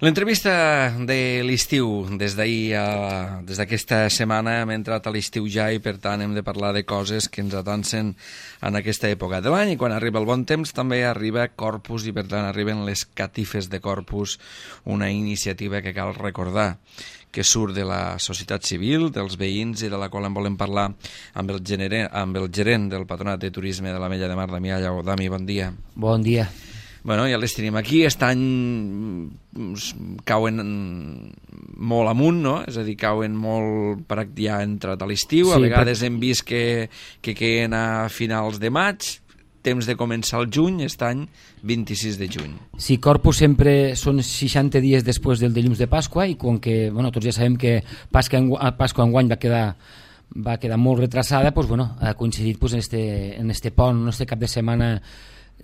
L'entrevista de l'estiu, des d'aquesta setmana hem entrat a l'estiu ja i per tant hem de parlar de coses que ens atancen en aquesta època de l'any i quan arriba el bon temps també arriba Corpus i per tant arriben les catifes de Corpus, una iniciativa que cal recordar que surt de la societat civil, dels veïns i de la qual en volem parlar amb el gerent del Patronat de Turisme de l'Ametlla de Mar, Damià Lleó. Dami, bon dia. Bon dia. Bueno, ja les tenim aquí, aquest any cauen molt amunt, no? És a dir, cauen molt per ja entrat a l'estiu, a vegades hem vist que queden a finals de maig, temps de començar el juny, aquest any 26 de juny. Sí, Corpus sempre són 60 dies després del dilluns de Pasqua i com que, bueno, tots ja sabem que Pasqua enguany va quedar molt retrasada, doncs, bueno, ha coincidit pues, en este pont, en este cap de setmana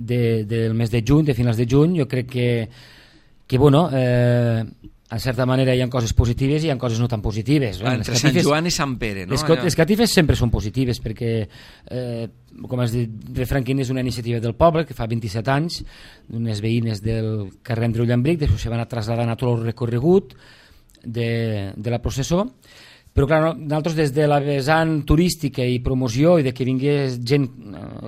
del mes de juny, de finals de juny. Jo crec que bueno, en certa manera hi ha coses positives i hi ha coses no tan positives. Entre Sant Joan i Sant Pere, no? Les catifes sempre són positives perquè, com has dit, Refranquín és una iniciativa del poble que fa 27 anys, d'unes veïnes del carrer Andreu Llambric, després se van traslladant a tot el recorregut de la processó. Però clar, nosaltres des de la vessant turística i promoció i de que vingués gent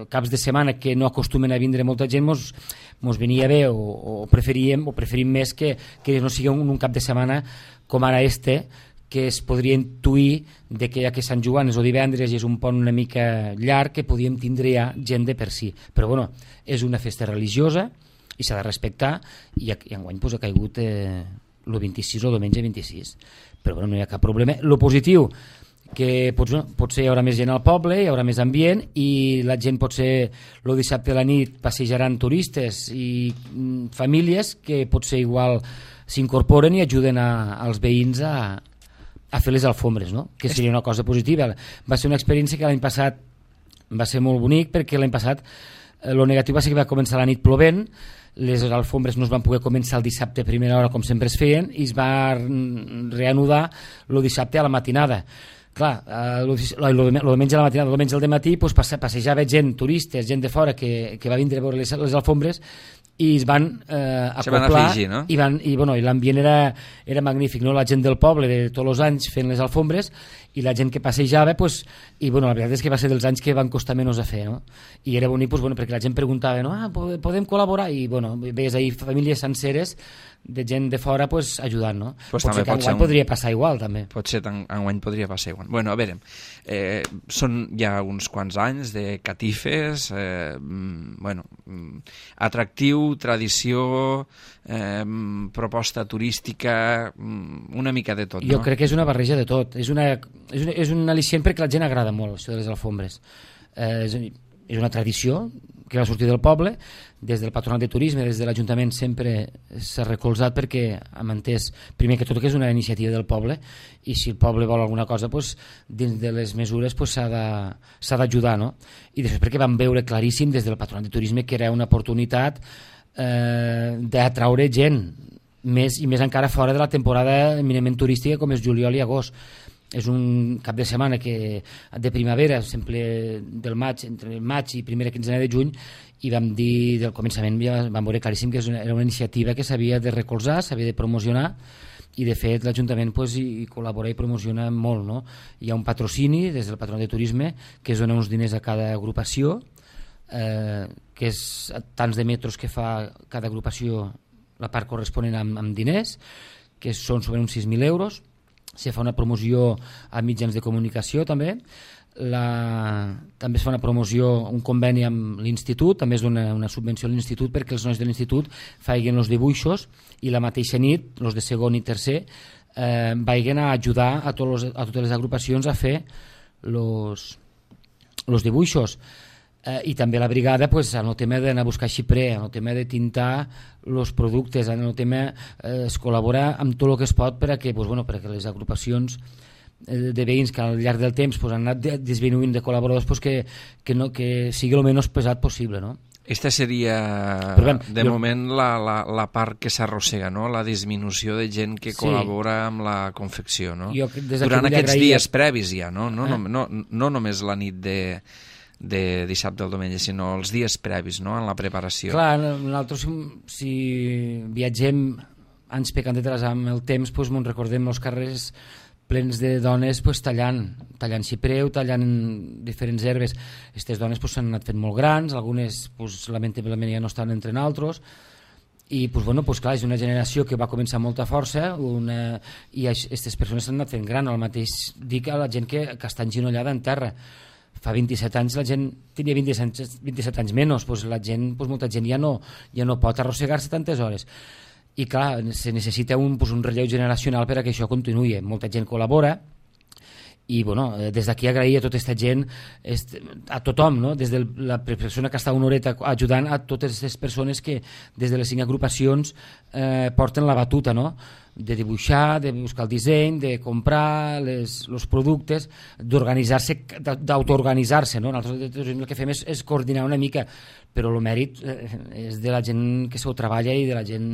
caps de setmana que no acostumen a vindre molta gent mos venia bé o preferim més que no sigui un cap de setmana com ara que es podria intuir de que ja que Sant Joan és el divendres i és un pont una mica llarg que podíem tindre ja gent de per si. Però bueno, és una festa religiosa i s'ha de respectar i enguany ha caigut el 26 o diumenge 26. Però bueno, no hi ha cap problema. Lo positiu, que potser hi haurà més gent al poble, hi haurà més ambient i la gent potser el dissabte a la nit passejaran turistes i famílies que potser igual s'incorporen i ajuden als veïns a fer les alfombres, no? Que seria una cosa positiva. Va ser una experiència que l'any passat va ser molt bonic perquè l'any passat el negatiu va ser que va començar la nit plovent, les alfombres no es van poder començar el dissabte a primera hora com sempre es feien i es va reanudar el dissabte a la matinada. Clar, el diumenge a la matinada, el diumenge al dematí passejava gent, turistes, gent de fora que va vindre a veure les alfombres i es van acoplar afegir, no? i l'ambient era magnífic, no? La gent del poble de tots els anys fent les alfombres i la gent que passejava i la veritat és que va ser dels anys que van costar menys a fer, no? I era bonic perquè la gent preguntava, no? Podem col·laborar? I veies ahir famílies senceres de gent de fora ajudant, no? Potser que enguany podria passar igual també. Potser enguany podria passar igual. Bueno, a veure, són ja uns quants anys de catifes, atractiu, tradició, proposta turística, una mica de tot, no? Jo crec que és una barreja de tot. És un al·licient perquè la gent agrada molt, això de les alfombres. És una tradició que va sortir del poble, des del Patronat de Turisme, des de l'Ajuntament sempre s'ha recolzat perquè hem entès, primer que tot, que és una iniciativa del poble i si el poble vol alguna cosa, dins de les mesures s'ha d'ajudar, no? I després perquè vam veure claríssim des del Patronat de Turisme que era una oportunitat d'atraure gent, més encara fora de la temporada eminentment turística com és juliol i agost. És un cap de setmana de primavera, sempre entre el maig i primera quinzena de juny, i vam dir del començament, vam veure claríssim que era una iniciativa que s'havia de recolzar, s'havia de promocionar, i de fet l'Ajuntament hi col·labora i promociona molt, no? Hi ha un patrocini des del Patronat de Turisme que es dona uns diners a cada agrupació, que és tants de metres que fa cada agrupació, la part corresponent amb diners, que són sobre uns 6.000 euros. Se fa una promoció a mitjans de comunicació també. També es fa una promoció, un conveni amb l'institut, també es dona una subvenció a l'institut perquè els nois de l'institut faiguen els dibuixos i la mateixa nit, els de segon i tercer, vagin a ajudar a totes les agrupacions a fer els dibuixos. I també la brigada en el tema d'anar a buscar xiprer, en el tema de tintar els productes, en el tema es col·labora amb tot el que es pot perquè les agrupacions de veïns que al llarg del temps han anat disminuint de col·laboradors que sigui el menys pesat possible, no? Esta seria, moment, la part que s'arrossega, no? La disminució de gent que col·labora amb la confecció, no? Durant aquests dies previs ja, no? No només la nit de dissabte al diumenge, sinó els dies previs, no?, en la preparació. Clar, nosaltres si viatgem anys pecant de tras amb el temps, doncs, me'n recordem els carrers plens de dones tallant xipreu, tallant diferents herbes. Aquestes dones s'han anat fent molt grans, algunes lamentablement ja no estan entre nosaltres, i clar, és una generació que va començar amb molta força i aquestes persones s'han anat fent gran. El mateix dic a la gent que està enginollada en terra. Fa 27 anys la gent tenia 27 anys menys, molta gent ja no pot arrossegar-se tantes hores. I clar, se necessita un relleu generacional per a que això continuï. Molta gent col·labora i des d'aquí agrair a tota aquesta gent, a tothom, no? Des de la persona que està una horeta ajudant a totes les persones que des de les 5 agrupacions porten la batuta, no? De dibuixar, de buscar el disseny, de comprar els productes, d'organitzar-se, d'autoorganitzar-se, no? Nosaltres el que fem és coordinar una mica, però el mèrit és de la gent que s'ho treballa i de la gent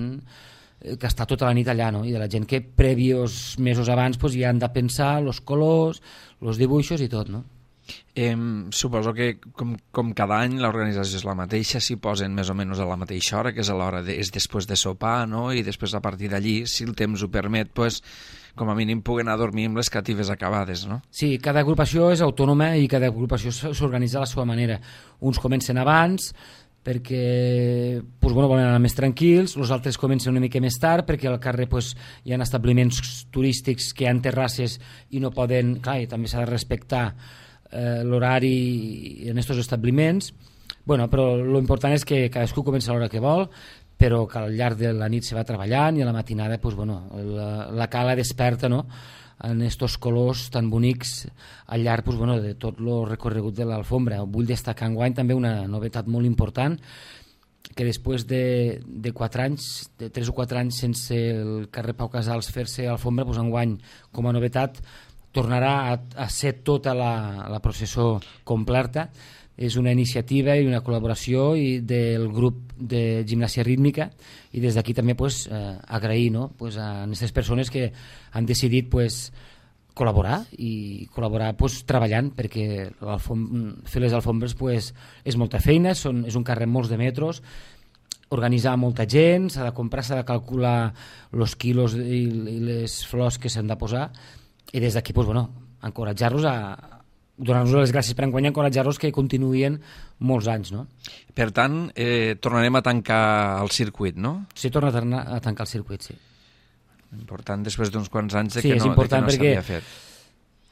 que està tota la nit allà, no? I de la gent que previos mesos abans ja han de pensar els colors, els dibuixos i tot, no? Suposo que com cada any l'organització és la mateixa, s'hi posen més o menys a la mateixa hora, que és a l'hora és després de sopar, no? I després a partir d'allí, si el temps ho permet, com a mínim puguen anar a dormir amb les catives acabades, no? Sí, cada agrupació és autònoma i cada agrupació s'organitza a la seva manera. Uns comencen abans perquè volen anar més tranquils, els altres comencen una mica més tard perquè al carrer hi ha establiments turístics que hi ha terrasses i no poden, clar, i també s'ha de respectar l'horari en aquests establiments, però l'important és que cadascú comença a l'hora que vol, però que al llarg de la nit se va treballant i a la matinada la cala desperta, no?, en aquests colors tan bonics al llarg de tot el recorregut de l'Alfombra. Vull destacar enguany també una novetat molt important, que després de 4 anys, de 3 o 4 anys sense el carrer Pau Casals fer-se Alfombra, enguany com a novetat tornarà a ser tota la processó completa. És una iniciativa i una col·laboració del grup de gimnàsia rítmica i des d'aquí també agrair, no?, a aquestes persones que han decidit col·laborar i col·laborar treballant, perquè fer les alfombres és molta feina, és un carrer amb molts de metres, organitzar molta gent, s'ha de comprar, s'ha de calcular els quilos i les flors que s'han de posar, i des d'aquí encoratjar-los donar-nos les gràcies per enguany, encoratjar-los que continuïen molts anys, no? Per tant, tornarem a tancar el circuit, no? Sí, torna a tancar el circuit, sí. Important després d'uns quants anys que no s'havia fet.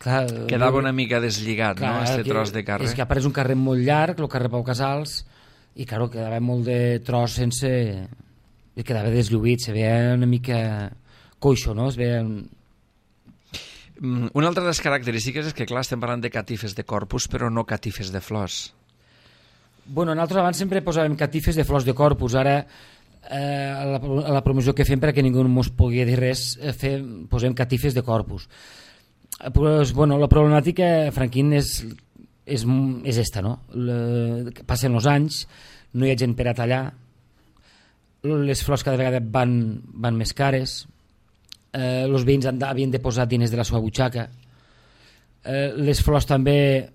Clar, quedava una mica deslligat, no?, aquest tros de carrer. És que apareix un carrer molt llarg, el carrer Pau Casals, i clar, quedava molt de tros sense... i quedava deslluït, se veia una mica coixo, no? Es veia... Una altra de les característiques és que, clar, estem parlant de catifes de corpus, però no catifes de flors. Nosaltres abans sempre posàvem catifes de flors de corpus, ara a la promoció que fem perquè ningú no ens pugui dir res, posem catifes de corpus. La problemàtica, Franquín, és esta, no? Passen els anys, no hi ha gent per a tallar, les flors cada vegada van més cares, els veïns havien de posar diners de la seva butxaca, les flors també,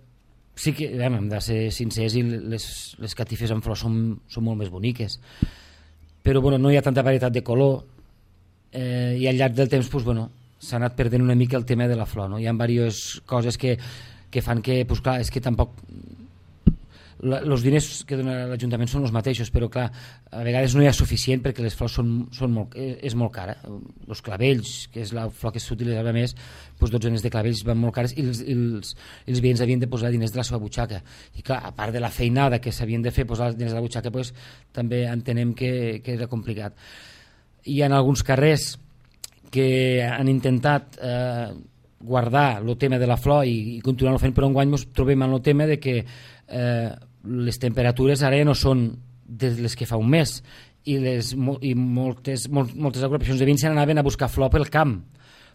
sí que hem de ser sincers, i les catifes amb flors són molt més boniques, però no hi ha tanta varietat de color, i al llarg del temps s'ha anat perdent una mica el tema de la flor, no? Hi ha diverses coses que fan que, clar, és que tampoc els diners que dona l'Ajuntament són els mateixos, però clar, a vegades no hi ha suficient perquè les flors és molt cara. Els clavells, que és la flor que s'utilitzava més, dotzenes de clavells van molt cares i els veïns havien de posar diners de la seva butxaca. I clar, a part de la feinada que s'havien de fer posar diners de la butxaca, també entenem que era complicat. Hi ha alguns carrers que han intentat guardar el tema de la flor i continuar-ho fent, però enguany ens trobem en el tema de que les temperatures ara ja no són de les que fa un mes i moltes agrupacions de veïns se n'anaven a buscar flor pel camp,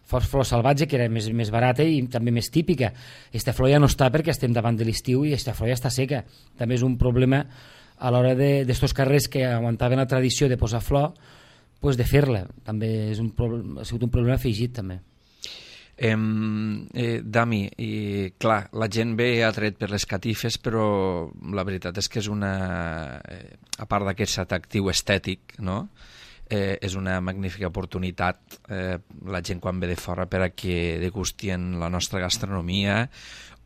flor salvatge, que era més barata i també més típica. Aquesta flor ja no està perquè estem davant de l'estiu i aquesta flor ja està seca. També és un problema a l'hora d'estos carrers que aguantaven la tradició de posar flor, de fer-la. També ha sigut un problema afegit també. Dami, clar, la gent ve atret per les catifes, però la veritat és que és a part d'aquest atractiu estètic, no?, és una magnífica oportunitat la gent quan ve de fora per a que degustien la nostra gastronomia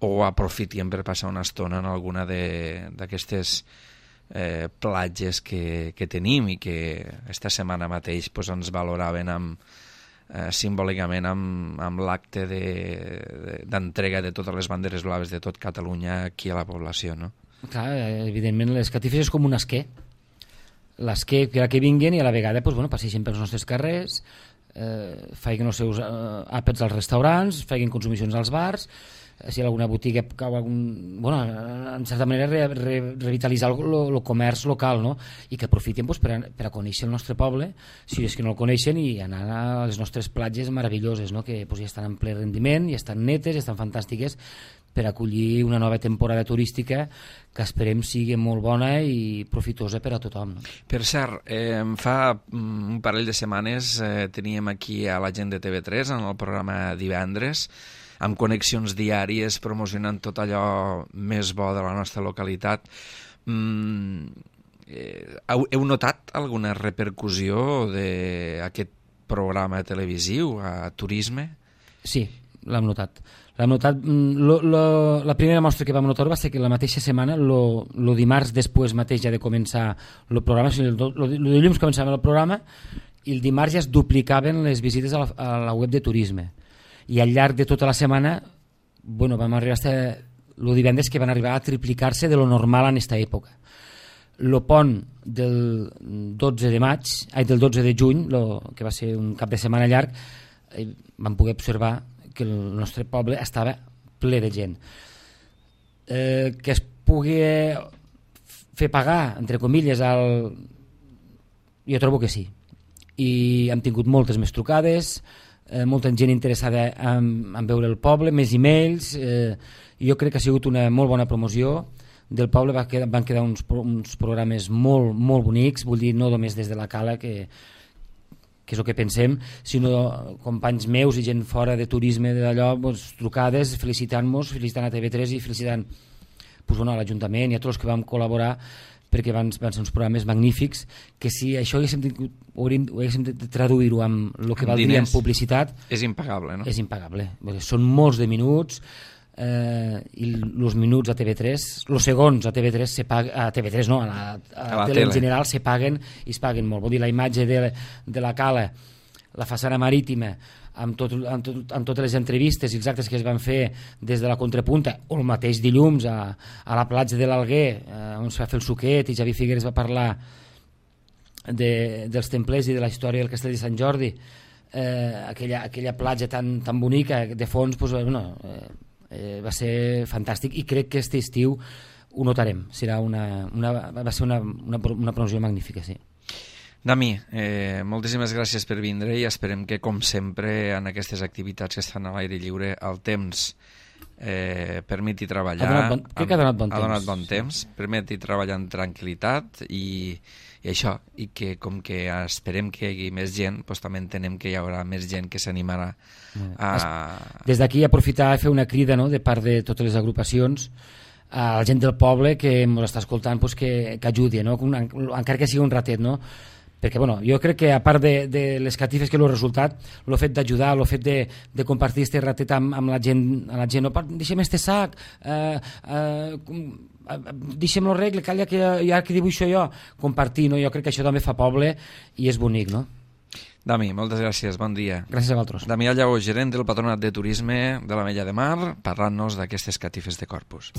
o aprofitien per passar una estona en alguna d'aquestes platges que tenim i que esta setmana mateix pues, ens valoraven simbòlicament amb l'acte d'entrega de totes les banderes blaves de tot Catalunya aquí a la població, no? Clar, evidentment les catifes és com un esquer. L'esquer que vinguen i a la vegada pues, bueno, passeixen pels nostres carrers, feien els seus àpats als restaurants, feien consumicions als bars, si hi ha alguna botiga cau bueno, en certa manera revitalitzar el comerç local, no? I que aprofiten pues, per a conèixer el nostre poble, si és que no el coneixen, i anar a les nostres platges meravelloses, no? Que pues, ja estan en ple rendiment, ja estan netes, ja estan fantàstiques per acollir una nova temporada turística que esperem sigui molt bona i profitosa per a tothom, no? Per cert, fa un parell de setmanes teníem aquí a la gent de TV3 en el programa Divendres, amb connexions diàries promocionant tot allò més bo de la nostra localitat. Heu notat alguna repercussió d'aquest programa televisiu a turisme? Sí, l'hem notat. La primera mostra que vam notar va ser que la mateixa setmana, el dimarts després mateix ja de començar el programa, el dilluns començàvem el programa i el dimarts ja es duplicaven les visites a la web de turisme. I al llarg de tota la setmana bueno, vam arribar fins el divendres que van arribar a triplicar-se de lo normal en aquesta època. El pont del 12 de juny, que va ser un cap de setmana llarg, vam poder observar que el nostre poble estava ple de gent. Que es pugui fer pagar, entre comilles, jo trobo que sí. I hem tingut moltes més trucades, molta gent interessada en veure el poble, més e-mails, jo crec que ha sigut una molt bona promoció del poble. Van quedar uns programes molt, molt bonics, vull dir, no només des de la Cala, que és el que pensem, sinó companys meus i gent fora de turisme d'allò, doncs, trucades, felicitant-nos, felicitant a TV3 i felicitant pues, bueno, a l'Ajuntament i a tots els que vam col·laborar, perquè van ser uns programes magnífics, que si això haguéssim de traduir-ho amb el que valdria en publicitat... És impagable, no? És impagable. Són molts de minuts, i els minuts a TV3, els segons a TV3 a TV3 no, a la tele en general se paguen i es paguen molt. Vol dir, la imatge de la Cala, la façana marítima, amb totes les entrevistes i els actes que es van fer des de la Contrapunta, o el mateix dilluns a la platja de l'Alguer, on es va fer el suquet i Javi Figueres va parlar dels templers i de la història del castell de Sant Jordi, aquella platja tan bonica de fons, doncs, va ser fantàstic i crec que aquest estiu ho notarem. Va ser una promoció magnífica, sí. Dami, moltíssimes gràcies per vindre i esperem que, com sempre, en aquestes activitats que estan a l'aire lliure, el temps permeti treballar. Crec que ha donat bon temps. Ha donat bon temps, permeti treballar en tranquil·litat i això, i que com que esperem que hi hagi més gent, doncs també entenem que hi haurà més gent que s'animarà a... Des d'aquí aprofitar i fer una crida, no?, de part de totes les agrupacions a la gent del poble que ens està escoltant, doncs, que ajudi, no?, encara que sigui un ratet, no?, perquè bueno, jo crec que a part de les catifes que l'ho resultat, el fet d'ajudar, el fet de compartir aquest ratet amb la gent, no, deixem este sac, deixem-lo regle, calla que ja que dibuixo jo, compartir, no? Jo crec que això també fa poble i és bonic, no? Dami, moltes gràcies, bon dia. Gràcies a vosaltres. Damià Lleó, gerent del Patronat de Turisme de l'Ametlla de Mar, parlant-nos d'aquestes catifes de Corpus.